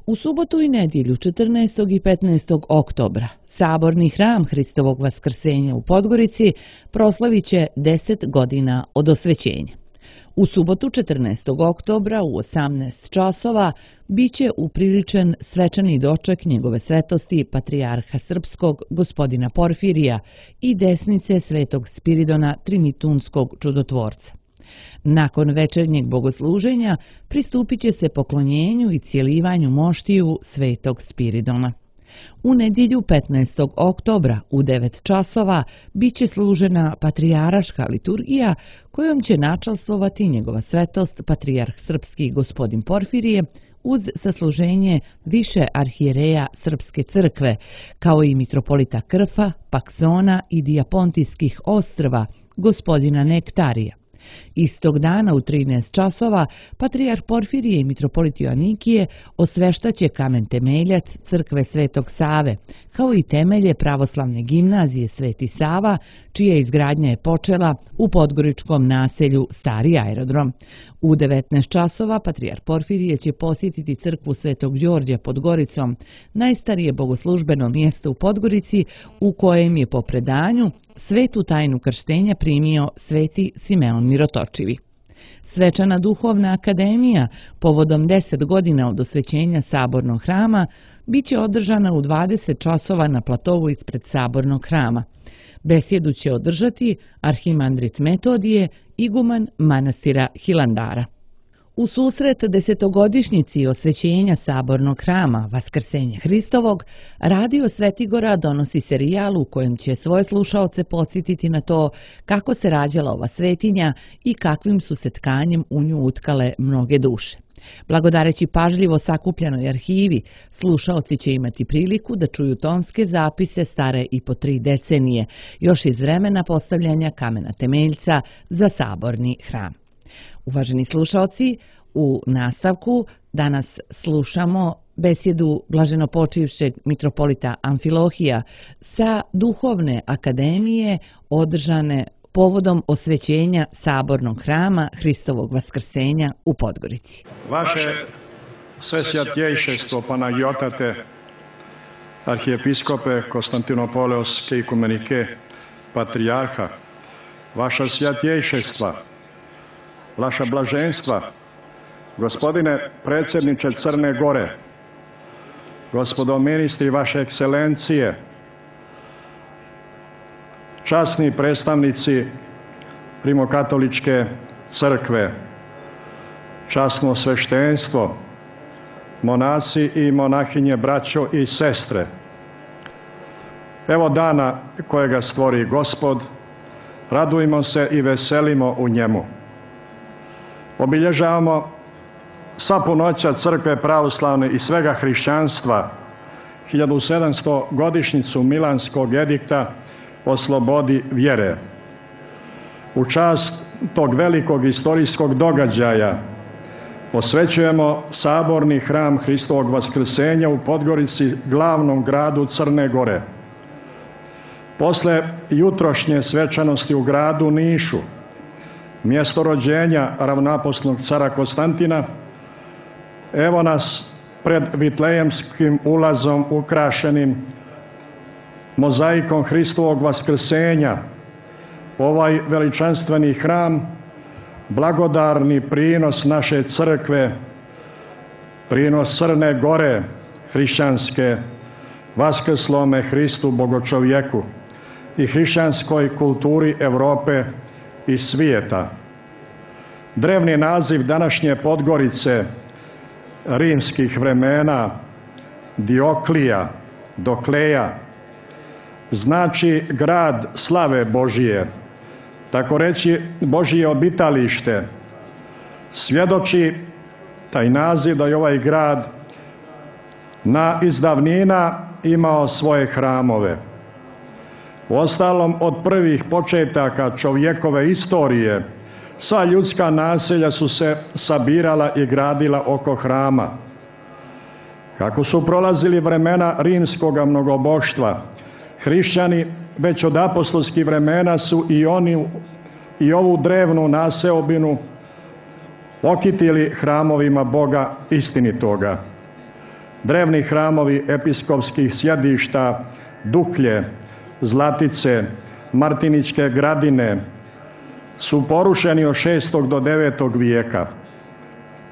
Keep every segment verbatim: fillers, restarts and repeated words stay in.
U subotu i nedjelju četrnaestog i petnaestog oktobra Saborni hram Hristovog Vaskrsenja u Podgorici proslavit će deset godina od osvećenja. U subotu četrnaestog oktobra u osamnaest časova biće upriličen svečani doček njegove svetosti patrijarha srpskog gospodina Porfirija i desnice svetog Spiridona Trinitunskog čudotvorca. Nakon večernjeg bogosluženja pristupit će se poklonjenju i cijelivanju moštiju svetog Spiridona. U nedjelju petnaestog oktobra u devet časova biće služena patrijaraška liturgija kojom će načastvovati njegova svetost patrijarh srpski gospodin Porfirije uz sasluženje više arhijereja Srpske crkve, kao i mitropolita Krfa, Paksona i Dijapontijskih ostrva gospodina Nektarija. Istog dana u trinaest časova patrijarh Porfirije i mitropolit Joanikije osveštaće kamen temeljac crkve Svetog Save, kao i temelje pravoslavne gimnazije Sveti Sava, čija izgradnja je počela u podgoričkom naselju Stari aerodrom. U devetnaest časova patrijarh Porfirije će posjetiti crkvu Svetog Đorđa pod Goricom, najstarije bogoslužbeno mjesto u Podgorici u kojem je po predanju svetu tajnu krštenja primio sveti Simeon Mirotočivi. Svečana duhovna akademija povodom deset godina od osvećenja Sabornog hrama biće održana u dvadeset časova na platovu ispred Sabornog hrama. Besjedu će održati arhimandrit Metodije, iguman manastira Hilandara. U susret desetogodišnjici osvećenja Sabornog hrama Vaskrsenja Hristovog, Radio Svetigora donosi serijal u kojem će svoje slušaoce podsjetiti na to kako se rađala ova svetinja i kakvim su se tkanjem u nju utkale mnoge duše. Blagodareći pažljivo sakupljanoj arhivi, slušaoci će imati priliku da čuju tonske zapise stare i po tri decenije, još iz vremena postavljanja kamena temeljca za Saborni hram. Uvaženi slušaoci, u nastavku danas slušamo besjedu blaženopočivšeg mitropolita Amfilohija sa Duhovne akademije održane povodom osvećenja Sabornog hrama Hristovog Vaskrsenja u Podgorici. Vaše svesvjatjejšestvo Panagiotate, arhijepiskope Konstantinopoleoske ikumenike, patrijarha, vaša svjatjejšestva, vaša blaženstva, gospodine predsjedniče Crne Gore, gospodo ministri vaše ekscelencije, časni predstavnici Rimokatoličke crkve, časno sveštenstvo, monasi i monahinje, braćo i sestre. Evo dana kojega stvori Gospod, radujmo se i veselimo u njemu. Obilježavamo sva punoća crkve pravoslavne i svega hrišćanstva, hiljadu sedamsto godišnjicu Milanskog edikta o slobodi vjere. U čast tog velikog istorijskog događaja posvećujemo Saborni hram Hristovog Vaskrsenja u Podgorici, glavnom gradu Crne Gore. Posle jutrošnje svečanosti u gradu Nišu, mjesto rođenja ravnoapostolnog cara Konstantina, evo nas pred Vitlejemskim ulazom ukrašenim mozaikom Hristovog Vaskrsenja. Ovaj veličanstveni hram, blagodarni prinos naše crkve, prinos Crne Gore hrišćanske, vaskrslome Hristu Bogočovjeku i hrišćanskoj kulturi Europe i svijeta. Drevni naziv današnje Podgorice rimskih vremena Dioklija, Dokleja, znači grad slave Božije, tako reći Božije obitalište. Svjedoči taj naziv da je ovaj grad na izdavnina imao svoje hramove. Uostalom, od prvih početaka čovjekove istorije, sva ljudska naselja su se sabirala i gradila oko hrama. Kako su prolazili vremena rimskoga mnogoboštva, hrišćani već od apostolskih vremena su i oni i ovu drevnu naseobinu okitili hramovima Boga istinitoga. drevni hramovi episkopskih sjedišta Duklje, Zlatice, Martiničke Gradine su porušeni od šestog do devetog vijeka.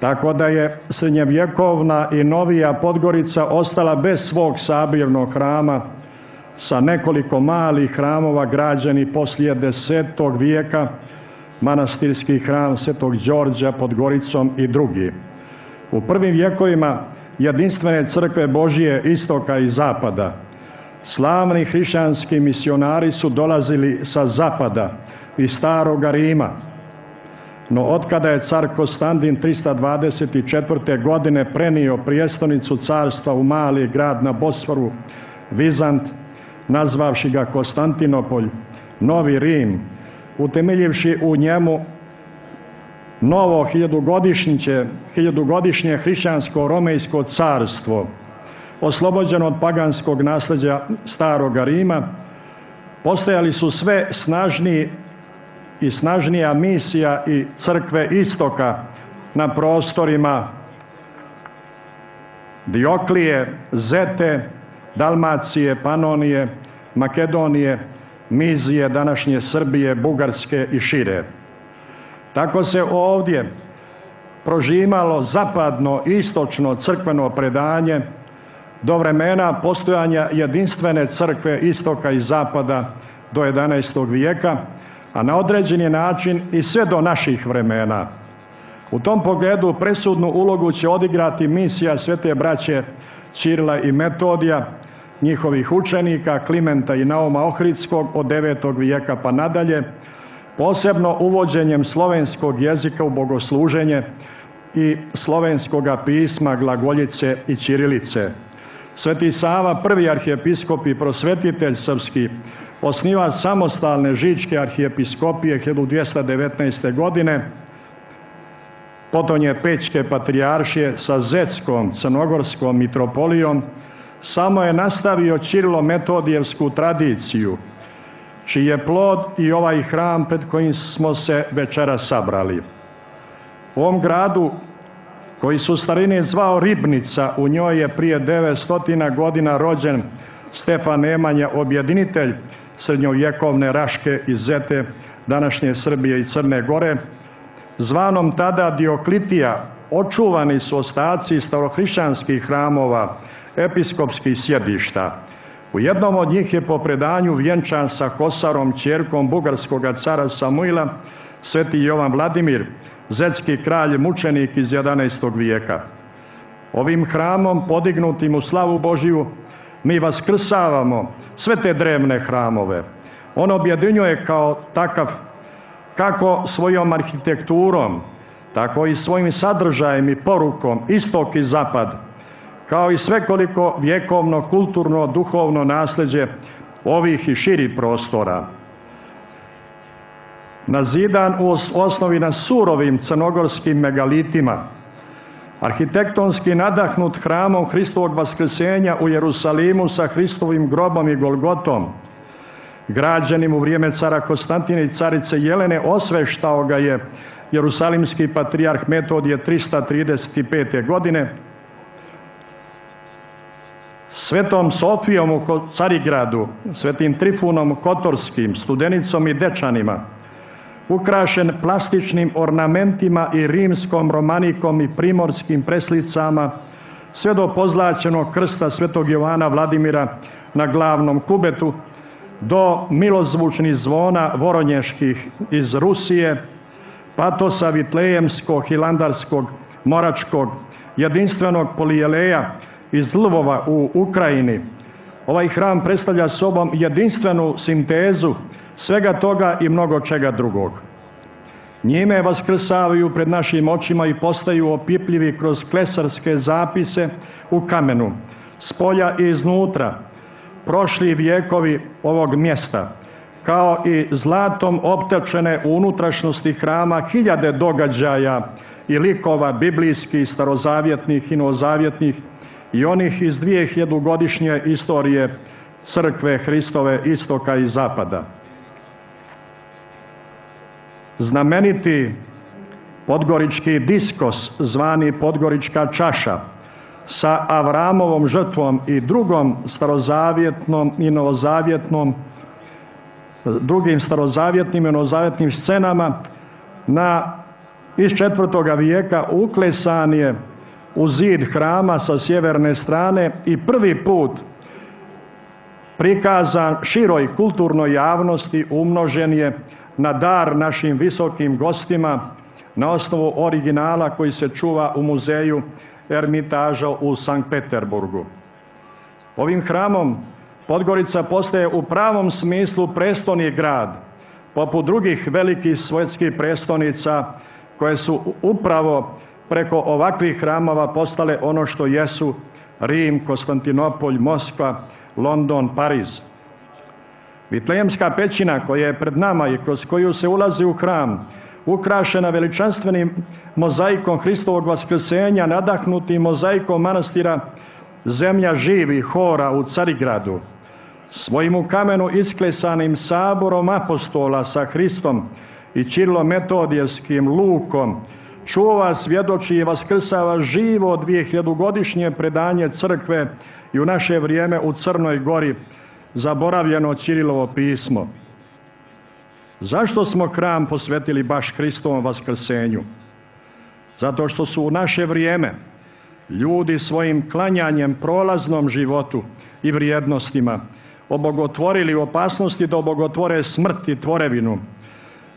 Tako da je srednjevjekovna i novija Podgorica ostala bez svog sabirnog hrama sa nekoliko malih hramova građenih poslije desetog vijeka, manastirski hram Svetog Đorđa pod Goricom i drugi. U prvim vjekovima jedinstvene crkve Božije istoka i zapada, slavni hrišćanski misionari su dolazili sa zapada, iz Staroga Rima. No otkada je car Konstantin trista dvadeset četvrte. godine prenio prijestolnicu carstva u mali grad na Bosforu, Vizant, nazvavši ga Konstantinopolj, Novi Rim, utemeljivši u njemu novo hiljadugodišnje, hiljadugodišnje hrišćansko-romejsko carstvo, oslobođeno od paganskog nasljeđa Staroga Rima, postojali su sve snažniji i snažnija misija i crkve istoka na prostorima Dioklije, Zete, Dalmacije, Panonije, Makedonije, Mizije, današnje Srbije, Bugarske i šire. Tako se ovdje prožimalo zapadno i istočno crkveno predanje do vremena postojanja jedinstvene crkve istoka i zapada do jedanaestog vijeka, a na određeni način i sve do naših vremena. U tom pogledu presudnu ulogu će odigrati misija svete braće Ćirila i Metodija, njihovih učenika Klimenta i Nauma Ohridskog od devetog vijeka pa nadalje, posebno uvođenjem slovenskog jezika u bogosluženje i slovenskoga pisma, glagoljice i ćirilice. Sveti Sava, prvi arhijepiskop i prosvetitelj srpski, osniva samostalne žičke arhijepiskopije hiljadu dvjesto devetnaeste. godine, potonje Pećke patrijaršije sa Zetskom crnogorskom mitropolijom, samo je nastavio Ćirilo-metodijevsku tradiciju, čiji je plod i ovaj hram pred kojim smo se večera sabrali. U ovom gradu, koji su u starini zvao Ribnica, u njoj je prije devetsto godina rođen Stefan Nemanja, objedinitelj srednjovjekovne Raške i Zete, današnje Srbije i Crne Gore. Zvanom tada Dioklitija očuvani su ostaci starohrišćanskih hramova, episkopskih sjedišta. U jednom od njih je po predanju vjenčan sa Kosarom, ćerkom bugarskog cara Samuila, sveti Jovan Vladimir, zetski kralj mučenik iz jedanaestog vijeka. Ovim hramom, podignutim u slavu Božiju, mi vaskrsavamo sve te drevne hramove. On objedinjuje kao takav, kako svojom arhitekturom, tako i svojim sadržajem i porukom, istok i zapad, kao i svekoliko vjekovno, kulturno, duhovno nasljeđe ovih i širih prostora. Nazidan u osnovi na surovim crnogorskim megalitima, arhitektonski nadahnut hramom Hristovog vaskrsenja u Jerusalimu sa Hristovim grobom i Golgotom, građenim u vrijeme cara Konstantina i carice Jelene, osveštao ga je jerusalimski patrijarh Metodije trista trideset pete. godine, Svetom Sofijom u Carigradu, Svetim Trifunom Kotorskim, Studenicom i Dečanima, ukrašen plastičnim ornamentima i rimskom romanikom i primorskim preslicama, sve do pozlaćenog krsta svetog Jovana Vladimira na glavnom kubetu, do milozvučnih zvona voronjeških iz Rusije, patosa vitlejemskog, hilandarskog, moračkog, jedinstvenog polijeleja iz Lvova u Ukrajini. Ovaj hram predstavlja sobom jedinstvenu sintezu svega toga i mnogo čega drugog. Njime vaskrsavaju pred našim očima i postaju opipljivi kroz klesarske zapise u kamenu, spolja i iznutra, prošli vijekovi ovog mjesta, kao i zlatom optečene u unutrašnjosti hrama hiljade događaja i likova biblijskih, starozavjetnih i novozavjetnih i onih iz dvije hiljadugodišnje istorije crkve Hristove istoka i zapada. Znameniti podgorički diskos, zvani Podgorička čaša, sa Avramovom žrtvom i drugom starozavjetnom i novozavjetnom, drugim starozavjetnim i novozavjetnim scenama na, iz četvrtoga vijeka uklesan je u zid hrama sa sjeverne strane i prvi put prikazan široj kulturnoj javnosti, umnožen je na dar našim visokim gostima na osnovu originala koji se čuva u muzeju Ermitaža u Sankt Peterburgu. Ovim hramom Podgorica postaje u pravom smislu prestolni grad, poput drugih velikih svjetskih prestolnica koje su upravo preko ovakvih hramova postale ono što jesu Rim, Konstantinopolj, Moskva, London, Pariz. Vitlejemska pećina koja je pred nama i kroz koju se ulazi u hram, ukrašena veličanstvenim mozaikom Hristovog vaskrsenja, nadahnutim mozaikom manastira Zemlja živih hora u Carigradu, svojim u kamenu isklesanim saborom apostola sa Hristom i Čirilo-metodijskim lukom, čuva, svjedoči i vaskrsava živo dvijehiljadugodišnje predanje crkve i u naše vrijeme u Crnoj Gori zaboravljeno Ćirilovo pismo. Zašto smo hram posvetili baš Hristovom vaskrsenju? Zato što su u naše vrijeme ljudi svojim klanjanjem prolaznom životu i vrijednostima obogotvorili u opasnosti da obogotvore smrt i tvorevinu,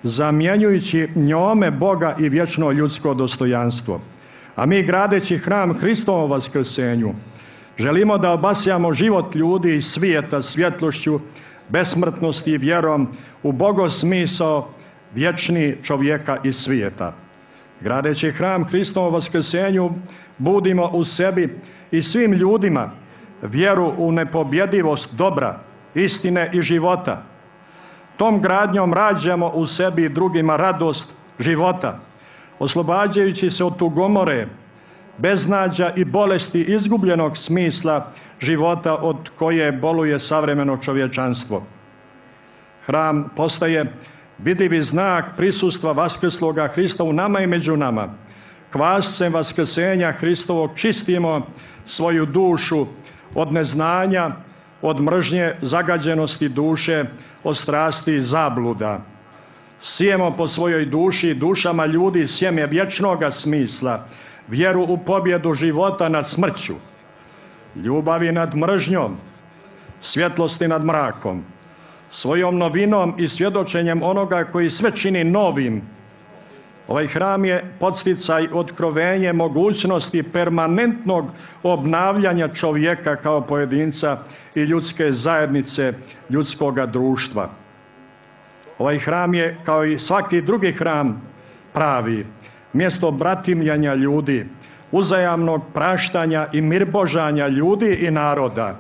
zamjenjujući njome Boga i vječno ljudsko dostojanstvo. A mi, gradeći hram Hristovom vaskrsenju, želimo da obasjamo život ljudi i svijeta svjetlošću, besmrtnosti i vjerom u bogosmisao vječni čovjeka i svijeta. Gradeći hram Hristovom vaskrsenju, budimo u sebi i svim ljudima vjeru u nepobjedivost dobra, istine i života. Tom gradnjom rađamo u sebi i drugima radost života, oslobađajući se od tugomore, beznađa i bolesti izgubljenog smisla života od koje boluje savremeno čovječanstvo. Hram postaje vidljivi znak prisustva vaskrsloga Hrista u nama i među nama. Kvascem vaskrsenja Hristovog čistimo svoju dušu od neznanja, od mržnje, zagađenosti duše, od strasti i zabluda. Sijemo po svojoj duši, dušama ljudi sjeme vječnoga smisla, vjeru u pobjedu života nad smrću, ljubavi nad mržnjom, svjetlosti nad mrakom, svojom novinom i svjedočenjem onoga koji sve čini novim. Ovaj hram je podsticaj, otkrovenje mogućnosti permanentnog obnavljanja čovjeka kao pojedinca i ljudske zajednice, ljudskoga društva. Ovaj hram je, kao i svaki drugi hram, pravi, mjesto bratimljanja ljudi, uzajamnog praštanja i mirbožanja ljudi i naroda.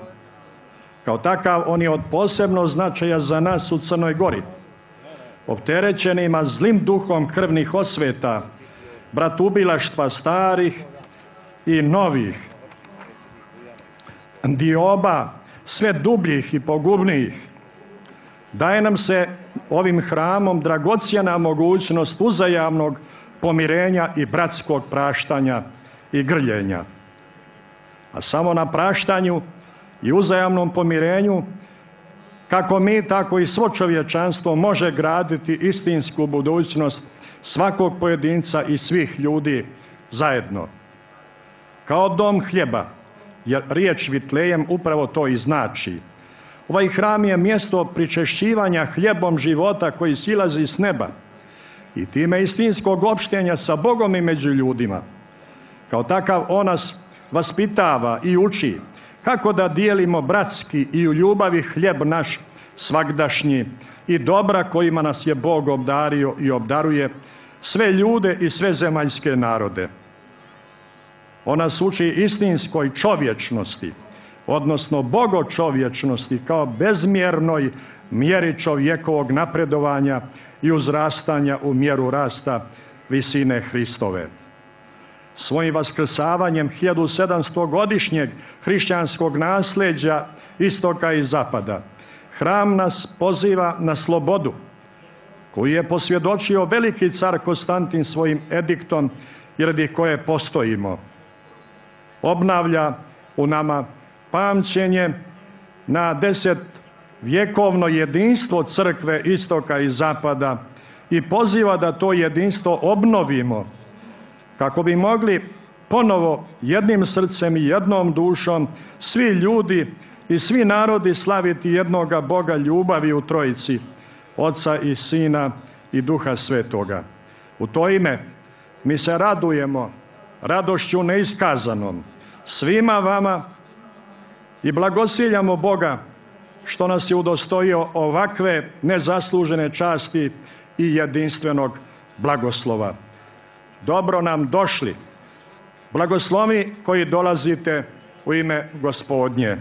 Kao takav, on je od posebnog značaja za nas u Crnoj Gori, opterećenima zlim duhom krvnih osveta, bratubilaštva starih i novih, dioba sve dubljih i pogubnijih. Daje nam se ovim hramom dragocjena mogućnost uzajamnog pomirenja i bratskog praštanja i grljenja. A samo na praštanju i uzajamnom pomirenju, kako mi, tako i svo čovječanstvo može graditi istinsku budućnost svakog pojedinca i svih ljudi zajedno. Kao dom hljeba, jer riječ Vitlejem upravo to i znači. Ovaj hram je mjesto pričešćivanja hljebom života koji silazi s neba i time istinskog opštenja sa Bogom i među ljudima. Kao takav on nas vaspitava i uči kako da dijelimo bratski i u ljubavi hljeb naš svagdašnji i dobra kojima nas je Bog obdario i obdaruje sve ljude i sve zemaljske narode. On nas uči istinskoj čovječnosti, odnosno bogočovječnosti kao bezmjernoj mjeri čovjekovog napredovanja i uzrastanja u mjeru rasta visine Hristove. Svojim vaskrsavanjem hiljadu sedamsto godišnjeg hrišćanskog nasljeđa istoka i zapada, hram nas poziva na slobodu, koju je posvjedočio veliki car Konstantin svojim ediktom i radi koje postojimo. obnavlja u nama pamćenje na deset vjekovno jedinstvo crkve istoka i zapada i poziva da to jedinstvo obnovimo kako bi mogli ponovo jednim srcem i jednom dušom svi ljudi i svi narodi slaviti jednoga Boga ljubavi u Trojici, Oca i Sina i Duha Svetoga. U to ime mi se radujemo radošću neiskazanom svima vama i blagosiljamo Boga što nas je udostojio ovakve nezaslužene časti i jedinstvenog blagoslova. Dobro nam došli, blagoslovi koji dolazite u ime Gospodnje.